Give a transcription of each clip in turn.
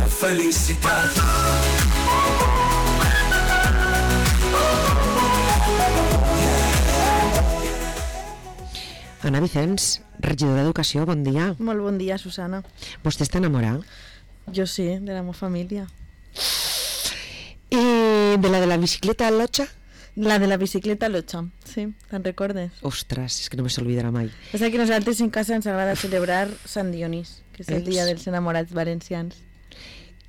felicitat. Anna Vicens, regidora d'Educació, bon dia. Molt bon dia, Susana. Vostè està enamorada? Jo sí, de la meva família. I de la bicicleta Lotxa? La de la bicicleta Lotxa, sí, te'n recordes? Ostres, és que no me s'oblidarà mai. És que a nosaltres en casa ens agrada celebrar Sant Dionís, que és el dia dels enamorats valencians.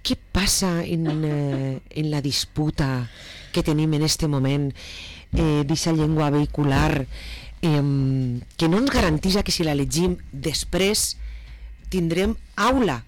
Què passa en la disputa que tenim en este moment d'aquesta llengua vehicular que no ens garanteix que si la llegim després tindrem aula?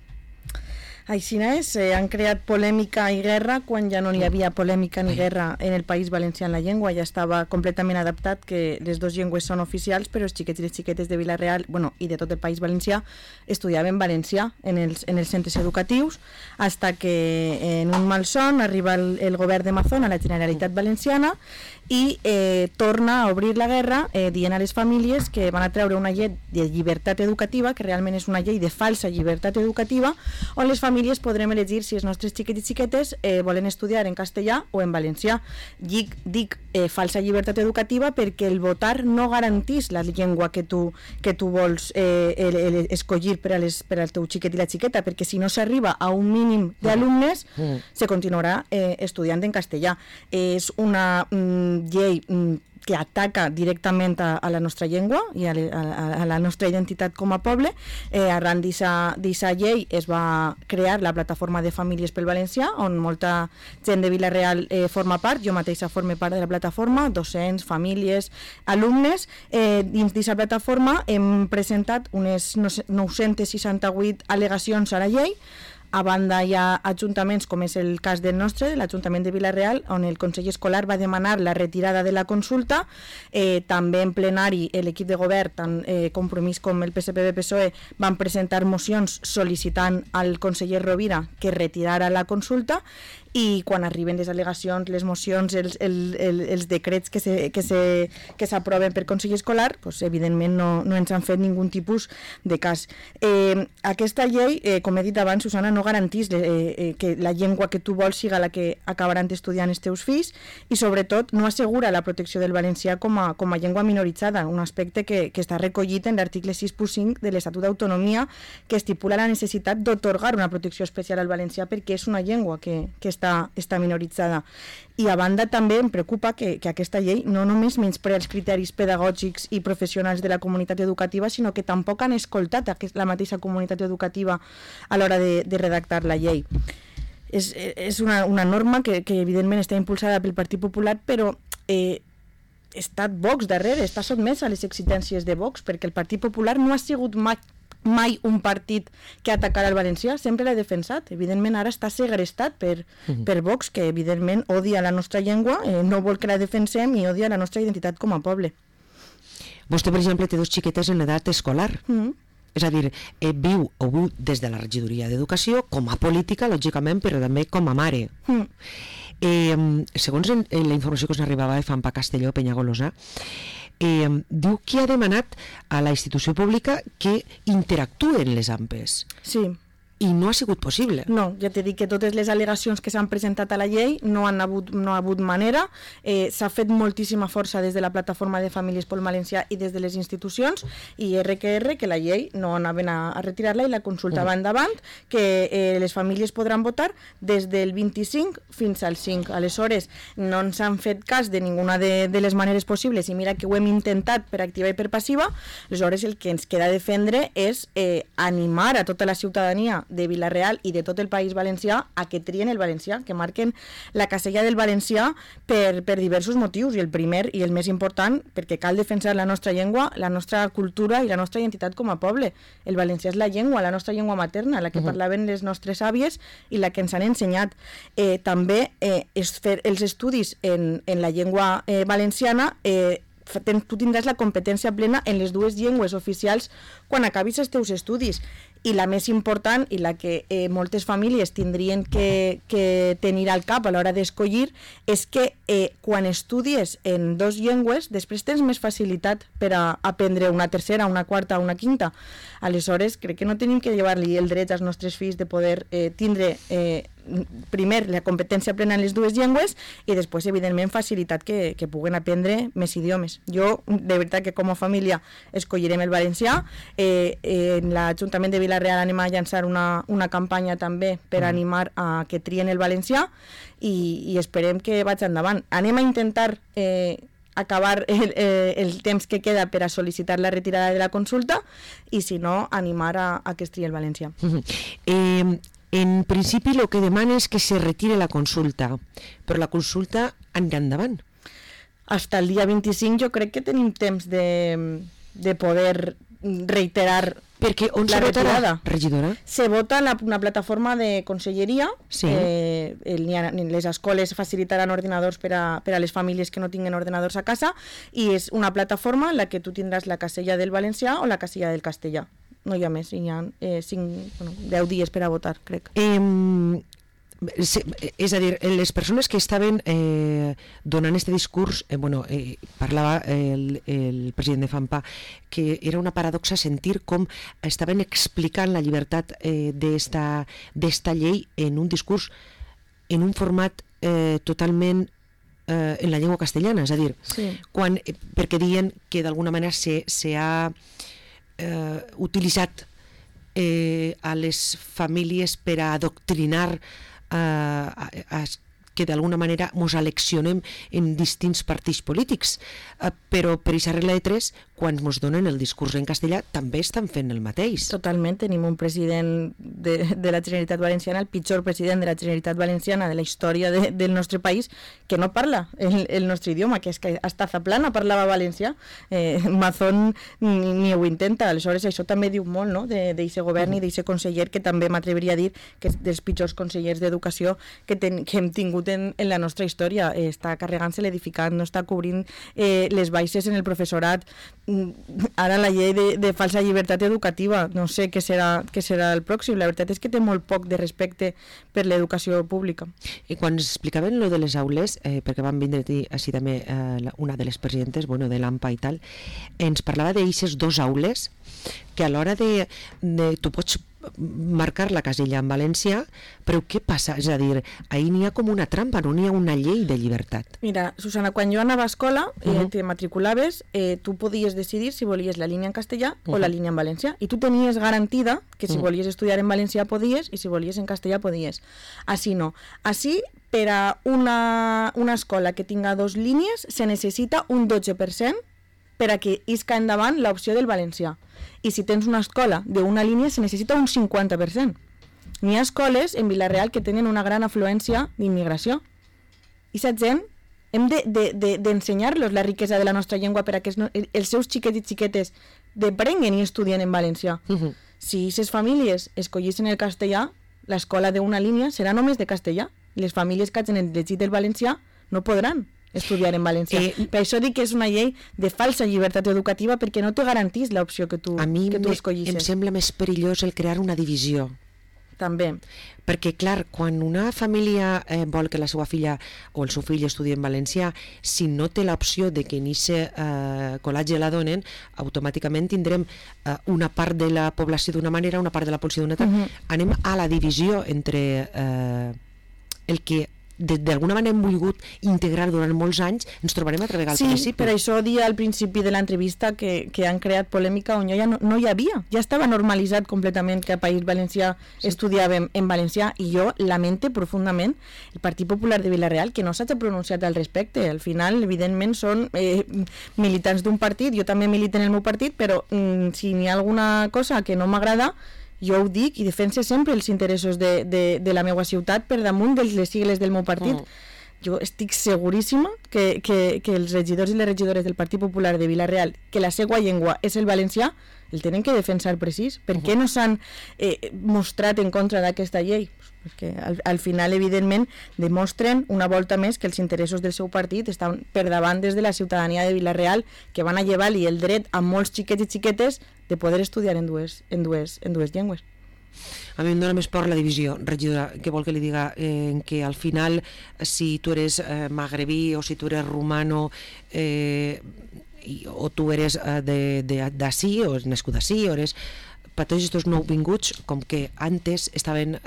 Aixina és, han creat polèmica i guerra quan ja no hi havia polèmica ni guerra en el País Valencià en la llengua, ja estava completament adaptat que les dues llengües són oficials, però els xiquets i les xiquetes de Vila-real, bueno, i de tot el País Valencià, estudiaven valencià en els centres educatius, hasta que en un malson arriba el govern de Mazón a la Generalitat Valenciana i torna a obrir la guerra dient a les famílies que van a treure una llei de llibertat educativa, que realment és una llei de falsa llibertat educativa, on les famílies podrem elegir si els nostres xiquets i xiquetes volen estudiar en castellà o en valencià. Dic falsa llibertat educativa perquè el votar no garantís la llengua que tu vols escollir per al teu xiquet i la xiqueta, perquè si no s'arriba a un mínim d'alumnes se continuarà estudiant en castellà. És una llei que ataca directament a la nostra llengua i a la nostra identitat com a poble. Arran d'aquesta llei es va crear la plataforma de famílies pel valencià, on molta gent de Vila-real forma part, jo mateixa forme part de la plataforma, docents, famílies, alumnes. Dins d'aquesta plataforma hem presentat unes 968 al·legacions a la llei. A banda hi ha ajuntaments, com és el cas del nostre, de l'Ajuntament de Vila-real, on el Consell Escolar va demanar la retirada de la consulta. També en plenari l'equip de govern, tant Compromís com el PSPB-PSOE, van presentar mocions sol·licitant al conseller Rovira que retirara la consulta, i quan arriben les al·legacions, les mocions, els decrets que s'aproven per Consell Escolar, doncs, evidentment no ens han fet ningú tipus de cas. Aquesta llei, com he dit abans, Susana, no garantís que la llengua que tu vols siga la que acabaran estudiant els teus fills, i sobretot no assegura la protecció del valencià com a llengua minoritzada, un aspecte que està recollit en l'article 6.5 de l'Estatut d'Autonomia, que estipula la necessitat d'atorgar una protecció especial al valencià perquè és una llengua que està minoritzada. I a banda també em preocupa que aquesta llei no només menysprea els criteris pedagògics i professionals de la comunitat educativa, sinó que tampoc han escoltat la mateixa comunitat educativa a l'hora de redactar la llei. És una norma que evidentment està impulsada pel Partit Popular, però està Vox darrere, està sotmès a les exigències de Vox, perquè el Partit Popular no ha sigut mai un partit que atacarà el valencià, sempre l'ha defensat. Evidentment ara està segrestat per Vox, que evidentment odia la nostra llengua, no vol que la defensem i odia la nostra identitat com a poble. Vostè, per exemple, té dos xiquetes en edat escolar. És a dir, viu des de la regidoria d'Educació com a política, lògicament, però també com a mare. Segons la informació que us arribava de FAMPA Castelló, Penyagolosa, diu que ha demanat a la institució pública que interactuen les AMPEs. Sí. I no ha sigut possible. No, ja t'he dit que totes les al·legacions que s'han presentat a la llei no ha hagut manera. S'ha fet moltíssima força des de la plataforma de famílies pel valencià i des de les institucions, i que la llei no anaven a retirar-la i la consulta va endavant, que les famílies podran votar des del 25 fins al 5. Aleshores, no ens han fet cas de ninguna de les maneres possibles, i mira que ho hem intentat per activa i per passiva. Aleshores, el que ens queda defendre és animar a tota la ciutadania de Vila-real i de tot el País Valencià a que trien el valencià, que marquen la casella del valencià per diversos motius, i el primer i el més important, perquè cal defensar la nostra llengua, la nostra cultura i la nostra identitat com a poble. El valencià és la llengua, la nostra llengua materna, la que parlaven les nostres àvies i la que ens han ensenyat. També fer els estudis en la llengua valenciana, tu tindràs la competència plena en les dues llengües oficials quan acabis els teus estudis, i la més important i la que moltes famílies tindrien que tenir al cap a l'hora d'escollir és que quan estudies en 2 llengües després tens més facilitat per a aprendre una tercera, una quarta o una quinta. Aleshores crec que no tenim que llevar-li el dret als nostres fills de poder tindre primer la competència plena en les 2 llengües i després evidentment facilitat que puguen aprendre més idiomes. Jo de veritat que com a família escollirem el valencià. En l'Ajuntament de Vila-real anem a llançar una campanya també per animar a que trien el valencià i esperem que vaig endavant. Anem a intentar acabar el temps que queda per a sol·licitar la retirada de la consulta i si no animar a que es trie el valencià. En principi el que demana és que se retire la consulta, però la consulta anirà endavant. Hasta el dia 25 jo crec que tenim temps de poder reiterar perquè on la se votarà, retirada. regidora? Se vota en una plataforma de conselleria. Sí. Les escoles facilitaran ordinadors per a les famílies que no tinguin ordinadors a casa i és una plataforma en la que tu tindràs la casella del valencià o la casella del castellà. No hi ha més, hi ha 10 dies per a votar, crec. És a dir, les persones que estaven donant aquest discurs, parlava el president de FAMPA, que era una paradoxa sentir com estaven explicant la llibertat d'esta llei en un discurs, en un format totalment en la llengua castellana, és a dir, sí. Perquè diuen que d'alguna manera s'ha utilitzat a les famílies per a adoctrinar que d'alguna manera ens aleccionem en distints partits polítics, però per aquesta regla de 3, quan ens donen el discurs en castellà, també estan fent el mateix. Totalment, tenim un president de la Generalitat Valenciana, el pitjor president de la Generalitat Valenciana de la història del nostre país, que no parla el nostre idioma, que és que hasta Zaplana parlava valencià, Mazón ni ho intenta, aleshores això també diu molt, no?, d'aquest govern i d'aquest conseller, que també m'atreviria a dir que és dels pitjors consellers d'educació que hem tingut en la nostra història. Està carregant-se l'edificant, no està cobrint les baixes en el professorat. Ara la llei de falsa llibertat educativa, no sé què serà el pròxim. La veritat és que té molt poc de respecte per l'educació pública. I quan ens explicaven lo de les aules, perquè van vindre així també una de les presidentes, de l'AMPA i tal, ens parlava d'eixes 2 aules que a l'hora de tu pots marcar la casella en valencià, però què passa? És a dir, ahir n'hi ha com una trampa, no n'hi ha una llei de llibertat. Mira, Susana, quan jo anava a escola, te matriculaves, tu podies decidir si volies la línia en castellà o la línia en valencià, i tu tenies garantida que si volies estudiar en valencià podies i si volies en castellà podies. Així no. Així, per a una escola que tinga 2 línies, se necessita un 12% per a que isca endavant l'opció del valencià. I si tens una escola d'una línia, se necessita un 50%. N'hi ha escoles en Vila-real que tenen una gran afluència d'immigració. I aquesta gent hem d'ensenyar-los la riquesa de la nostra llengua per a que els seus xiquets i xiquetes deprenguen i estudien en valencià. Si aquestes famílies escollissin el castellà, l'escola d'una línia serà només de castellà. Les famílies que hagin llegit el valencià no podran estudiar en valencià. Per això dic que és una llei de falsa llibertat educativa, perquè no te garantís l'opció que tu escollisses. A mi em sembla més perillós el crear una divisió. També. Perquè, clar, quan una família vol que la seva filla o el seu fill estudi en valencià, si no té l'opció de que en aquest col·legi la donen, automàticament tindrem una part de la població d'una manera, una part de la població d'una altra. Anem a la divisió entre el que d'alguna manera hem volgut integrar durant molts anys, ens trobarem altra vegada al principi. Sí, per això dia al principi de l'entrevista que han creat polèmica on no hi havia, ja estava normalitzat completament que a País Valencià estudiàvem en valencià, i jo lamente profundament el Partit Popular de Vila-real que no s'hagi pronunciat al respecte. Al final, evidentment, són militants d'un partit, jo també milito en el meu partit, però si n'hi ha alguna cosa que no m'agrada, jo ho dic i defense sempre els interessos de la meva ciutat per damunt de les sigles del meu partit. Jo estic seguríssima que els regidors i les regidores del Partit Popular de Vila-real, que la seva llengua és el valencià, el tenen que defensar precís. Per què no s'han mostrat en contra d'aquesta llei? Perquè al final, evidentment, demostren una volta més que els interessos del seu partit estan per davant des de la ciutadania de Vila-real, que van a llevar-li el dret a molts xiquets i xiquetes de poder estudiar en dues llengües. A mi em dóna més por la divisió, regidora, que vol que li diga en que al final, si tu eres magrebí o si tu eres rumano o tu eres d'ací o és nascut d'ací o eres... Per tots aquests nouvinguts, com que antes estaven...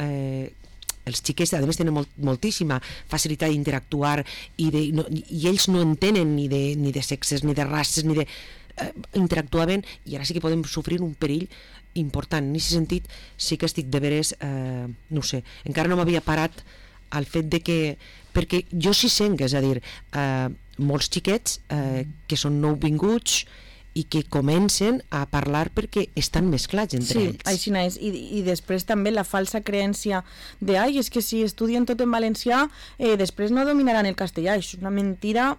els xiquets, a més, tenen moltíssima facilitat d'interactuar i ells no entenen ni de sexes, ni de races, ni de... interactuaven, i ara sí que podem sofrir un perill important. En aquest sentit sí que estic de veres, no sé, encara no m'havia parat al fet de que, perquè jo sí sent, és a dir, molts xiquets que són nouvinguts i que comencen a parlar perquè estan mesclats entre ells. Sí, així és. I després també la falsa creència de és que si estudien tot en valencià després no dominaran el castellà. Això és una mentira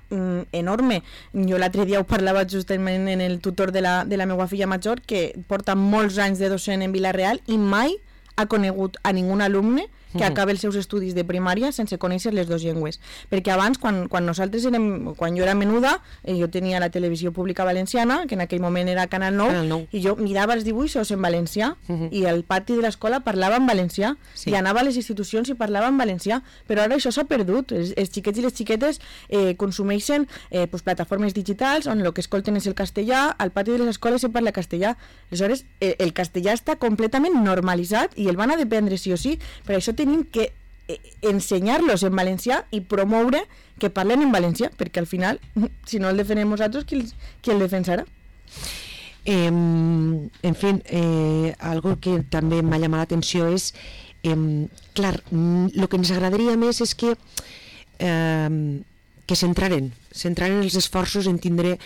enorme. Jo l'altre dia ho parlava justament en el tutor de la meva filla major, que porta molts anys de docent en Vila-real i mai ha conegut a ningú alumne que acabi els seus estudis de primària sense conèixer les dues llengües. Perquè abans, quan jo era menuda, jo tenia la televisió pública valenciana, que en aquell moment era Canal 9, i jo mirava els dibuixos en valencià, i al pati de l'escola parlava en valencià, i anava a les institucions i parlava en valencià, però ara això s'ha perdut. Els xiquets i les xiquetes consumeixen plataformes digitals on el que escolten és el castellà, al pati de les escoles se parla castellà. Aleshores, el castellà està completament normalitzat i el van a dependre sí o sí. Per això tenim que ensenyar-los en valencià i promoure que parlen en valencià, perquè al final, si no el defensem nosaltres, qui el defensarà? En fi, algo que també m'ha llamat l'atenció és, clar, el que ens agradaria més és que centraren els esforços en tindre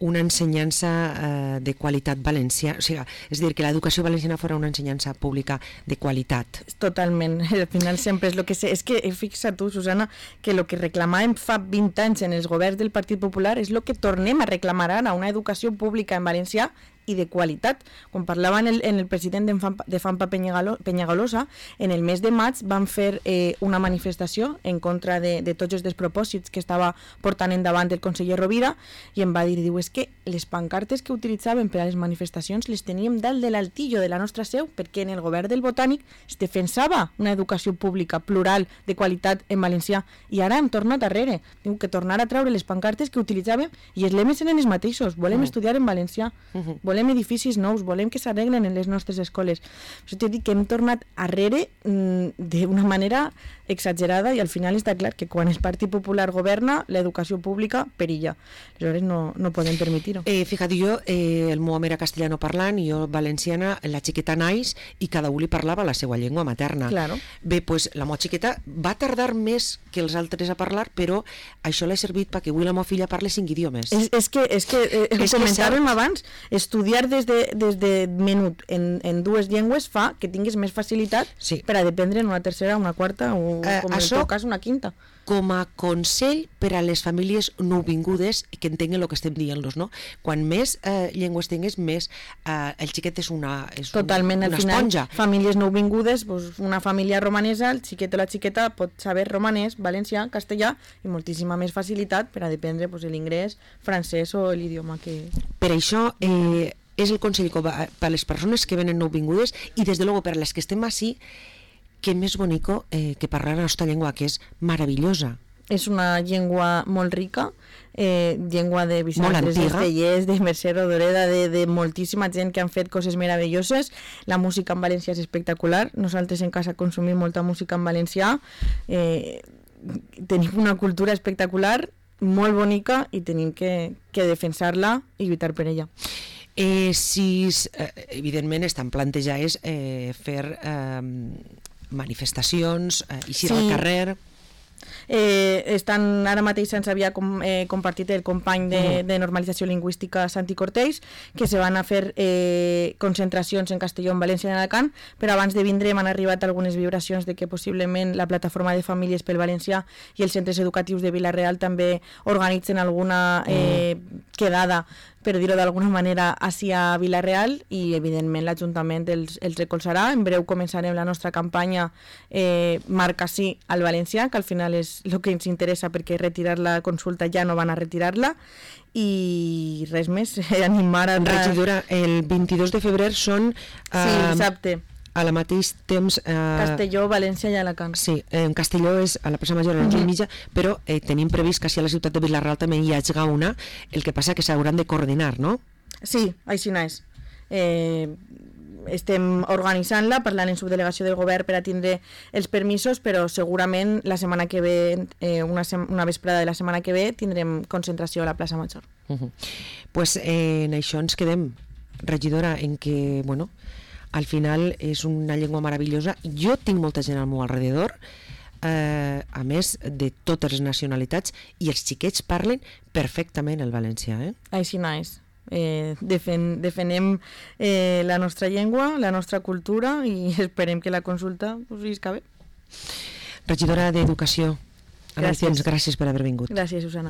una ensenyança de qualitat valenciana, o sigui, és a dir, que l'educació valenciana fos una ensenyança pública de qualitat. Totalment, al final sempre és el que sé. És que fixa tu, Susana, que el que reclamàvem fa 20 anys en els governs del Partit Popular és el que tornem a reclamar ara, una educació pública en valencià i de qualitat. Quan parlava en el president de FAMPA Penyagolosa, en el mes de maig van fer una manifestació en contra de tots els despropòsits que estava portant endavant el conseller Rovira, i em va dir, és que les pancartes que utilitzaven per a les manifestacions les teníem dalt de l'altillo de la nostra seu, perquè en el govern del Botànic es defensava una educació pública plural de qualitat en valencià, i ara hem tornat darrere. Diu que tornar a treure les pancartes que utilitzàvem, i els lemes eren els mateixos: volem estudiar en valencià, volem edificis nous, volem que s'arreglen en les nostres escoles. Això t'he dit que hem tornat arrere d'una manera exagerada, i al final està clar que quan el Partit Popular governa, l'educació pública perilla. Aleshores no podem permetir-ho. Fíjate, jo, el meu home era castellano parlant i jo valenciana, la xiqueta naix i cada un li parlava la seva llengua materna. Claro. Bé, pues la meva xiqueta va tardar més que els altres a parlar, però això l'ha servit perquè avui la meva filla parla 5 idiomes. És que comentàvem abans, estudiar des de menut en dues llengües fa que tinguis més facilitat per a dependre en una tercera, una quarta o, com en el teu cas, una quinta. Com a consell per a les famílies nouvingudes que entenguen el que estem dient-los, no? Quan més llengües tingues, més el xiquet és una totalment, al final, esponja. Famílies nouvingudes, una família romanesa, el xiquet o la xiqueta pot saber romanès, valencià, castellà, i moltíssima més facilitat per a dependre l'ingrès, francès o l'idioma que... Per això és el consell per a les persones que venen nouvingudes i, des de luego, per a les que estem així, que més bonico que parlar la nostra llengua, que és meravellosa. És una llengua molt rica, llengua de Vicent Estellers, de Mercè Rodoreda, de moltíssima gent que han fet coses meravelloses. La música en valencià és espectacular. Nosaltres en casa consumim molta música en valencià. Tenim una cultura espectacular, molt bonica, i tenim que defensar-la i lluitar per ella. Evidentment estan plantejades fer manifestacions, eixir al carrer. Ara mateix se'ns havia compartit el company de normalització lingüística Santi Cortells, que se van a fer concentracions en Castelló, en València i en Alacant, però abans de vindre m'han arribat algunes vibracions de que possiblement la plataforma de famílies pel valencià i els centres educatius de Vila-real també organitzen alguna quedada per dir-ho d'alguna manera, hacia Vila-real, i evidentment l'Ajuntament els recolzarà. En breu començarem la nostra campanya Marca sí al valencià, que al final és el que ens interessa, perquè retirar la consulta ja no van a retirar-la, i res més, animar a... Regidora, el 22 de febrer són... Sí, dissabte. A la mateix temps... Castelló, València i Alacant. Sí, en Castelló és a la plaça Major a les 11:30, però tenim previst que a la ciutat de Vila-real també hi hagi una, el que passa que s'hauran de coordinar, no? Sí, així és. Estem organitzant-la, parlant en subdelegació del govern per a tindre els permisos, però segurament la setmana que ve, una vesprada de la setmana que ve, tindrem concentració a la plaça Major. Pues en això ens quedem, regidora, en que, bueno, al final és una llengua meravellosa. Jo tinc molta gent al meu alrededor, a més de totes les nacionalitats, i els xiquets parlen perfectament el valencià. Així és. Defenem la nostra llengua, la nostra cultura, i esperem que la consulta us visca bé. Regidora d'Educació, gràcies per haver vingut. Gràcies, Susana.